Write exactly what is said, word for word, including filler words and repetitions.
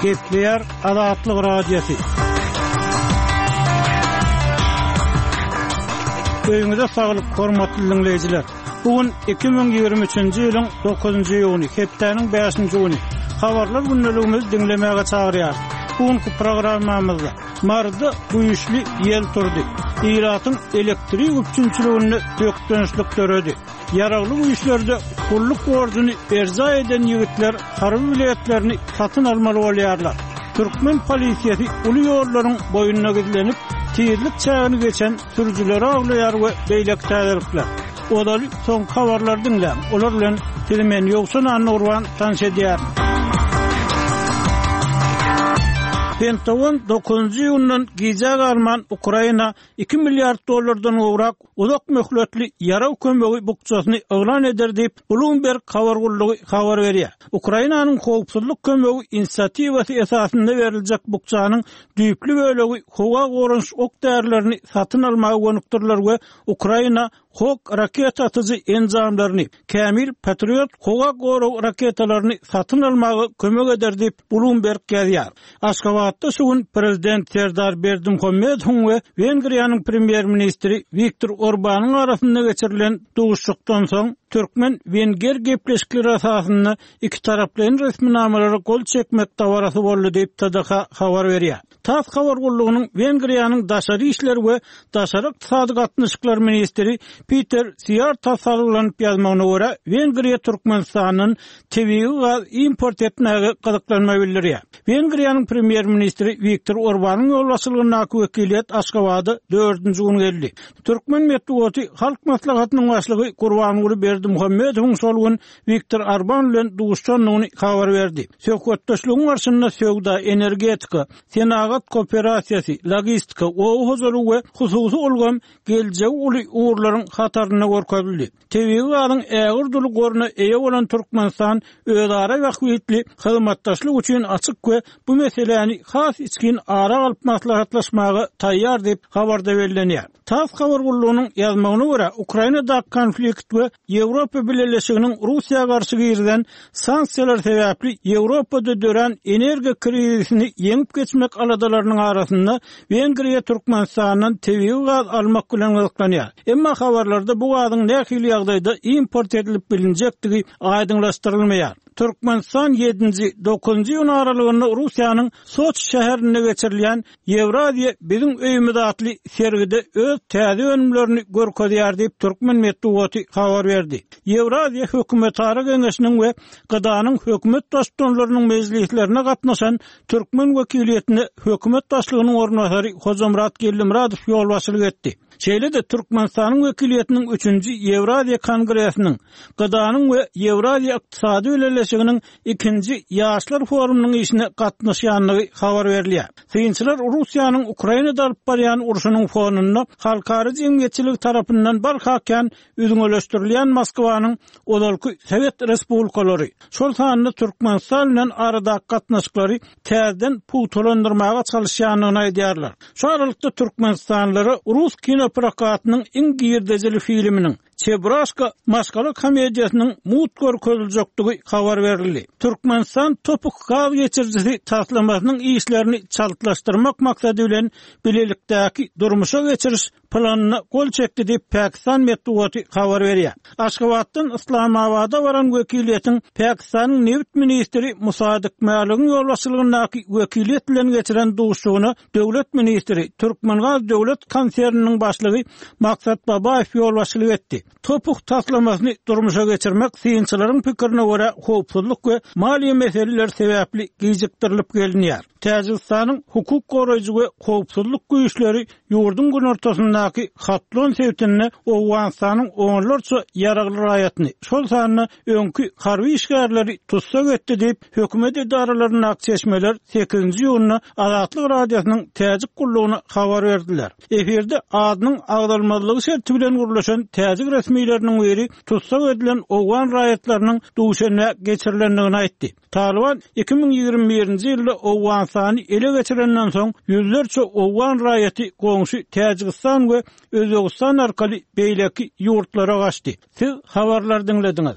Gepleýär Azatlyk Radiosy. Öýüňize saglyk, hormatly diňleýjiler. Bu gün iki müň ýigrimi üçünji ýylyň dokuzynjy iýuny, hepdäniň bäşinji güni. Habarlar gündeligimizi diňlemäge çagyrýarys. Bu günki programmamyzda Maryda güýçli ýel turdy. Ilatyň elektrik üpjünçiliginde bökdençlik döredi. Ýaragly güýçlerde gulluk borjuny berjaý eden ýigitler harby biletlerini satyn almaly bolýarlar. Türkmen polisiýasy uly ýollaryň boýunda gizlenip, tizlik çägini geçen sürüjileri awlaýar we beýleki täzelikler. Ozaly soňky habarlary diňläň. Olar bilen sizi men Ýowşan Annagurban tanyş edýärin. Pentagon dokuzynjy iýundan gijä galman Ukraina iki milliard dollardan gowrak uzak möhletli ýarag kömegi bukjasyny yglan eder diýip, Bloomberg habar gullugy habar berýär. Ukrainanyň howpsuzlyk kömegi inisiatiwasy esasynda beriljek bukjanyň düýpli bölegi howa goranyş ok-därilerini satyn almaga gönükdiriler we Ukraina Hawk raketa atyjy enjamlaryny, kämil Patriot howa gorag raketalaryny satyn almaga kömek eder diýip, Bloomberg ýazýar. Aşgabatda şu gün Prezident Serdar Berdimuhamedowyň we Wengriýanyň Premýer-ministri Wiktor Orbanyň arasynda geçirilen duşuşykdan soň, türkmen-wenger gepleşikleri esasynda ikitaraplaýyn resminamalara gol çekmek dabarasy boldy diýip, T D H habar berýär. TASS habar gullugynyň Wengriýanyň daşary işler we daşary ykdysady gatnaşyklar ministri Peter Siýarta salgylanyp ýazmagyna görä, Wengriýa Türkmenistandan tebigy gaz import etmäge gyzyklanma bildirýär. Wengriýanyň premýer-ministri Wiktor Orbanyň ýolbaşçylygyndaky wekiliýet Aşgabada dördünji gün geldi. Türkmen metbugaty Halk Maslahatynyň başlygy Gurbanguly Berdimuhamedowyň şol gün Wiktor Orban bilen duşuşandygyny habar berdi. Söhbetdeşligiň barşynda söwda, energetika, senagat kooperasiýasy, logistika, oba hojalygy we hususy ulgam geljegi uly ugurlaryň hatarynda görkezildi. Tebigy gazyň ägirt uly goruna eýe bolan Türkmenistan özara bähbitli hyzmatdaşlyk üçin açyk we bu meseläni has içgin ara alyp maslahatlaşmaga taýýar diýip habarda bellenýär. TASS habar gullugynyň ýazmagyna görä, Ukrainadaky konflikt we Ýewropa Bileleşiginiň Russiýa garşy girizen sanksiýalar sebäpli Ýewropada dörän energiýa krizisini ýeňip geçmek aladalarynyň arasynda Wengriýa Türkmenistandan tebigy gaz almak bilen gyzyklanýar. Emma habarlarda bu gazyň nähili ýagdaýda import edilip bilinjekdigi aýdyňlaşdyrylmaýar. Türkmenistan ýedinji, dokuzynjy iýun aralygynda Russiýanyň Soçi şäherinde geçirilýän Ýewraziýa biziň öýümiz atly sergide öz täze önümlerini görkezýär diýip, türkmen metbugaty habar berdi. Ýewraziýa hökümetara geňeşiniň we G D A'nyň hökümet baştutanlarynyň mejlislerine gatnaşan türkmen wekiliýetine hökümet başlygynyň orunbasary Hojamyrat Geldimyradow ýolbaşçylyk etdi. Şeýle-de Türkmenistanyň wekiliýetiniň üçünji Ýewraziýa kongresiniň, G D A'nyň we Ýewraziýa ykdysady bileleşiginiň ikinji Ýaşlar forumynyň işine gatnaşýandygy habar berilýär. Synçylar Russiýanyň Ukrainada alyp barýan urşunyň fonunda halkara jemgyýetçiligi tarapyndan barha kän üzňeleşdirilýän Moskwanyň ozalky Sowet respublikalary, şol sanda Türkmenistan bilen aradaky gatnaşyklary täzeden pugtalandyrmaga çalyşýandygyny aýdýarlar. Şu aralykda Türkmenistanlylara rus kinoprokatynyň iň girdejili filminiň Çebraşka maşgala komediýasynyň mugt görkeziljekdigi habar berildi. Türkmenistan topuk gaz geçirijisi taslamasynyň işlerini çaltlaşdyrmak maksady bilen bilelikdäki durmuşa geçiriş planyna gol çekdi diýip Pakistan metbugaty habar berýär. Aşgabatdan Islamabada baran wekiliýetiň Pakistanyň nebit ministri Musadyk Mäligiň ýolbaşçylygyndaky wekiliýet bilen geçiren duşuşygyna döwlet ministri Türkmengaz döwlet konserniniň başlygy Maksat Babaýew ýolbaşçylyk etdi. Topuk taslamasyny durmuşa geçirmek synçylaryň pikirine görä howpsuzlyk we maliýe meseleleri sebäpli gijikdirilip gelinýär. Täjigistanyň hukuk goraýjy we howpsuzlyk güýçleri ýurduň günortasyndaky Hatlon sebitinde Owganystanyň onlarça ýaragly raýatyny, şol sanda öňki harby işgärleri tussag etdi diýip, hökümet edaralaryndaky çeşmeler sekizinji iýunda Azatlyk Radiosynyň Täjik gullugyna habar berdiler. Efirde adynyň agzalmazlygy şerti bilen gürleşen täjik resmileriniň biri tussag edilen owgan raýatlarynyň Duşenbä geçirilendigini aýtdy. Taliban iki müň ýigrimi birinji ýylda Owganystany ele geçirenden soň ýüzlerçe owgan raýaty goňşy Täjigistan we Özbegistan arkaly beýleki ýurtlara gaçdy. Siz habarlary diňlediňiz.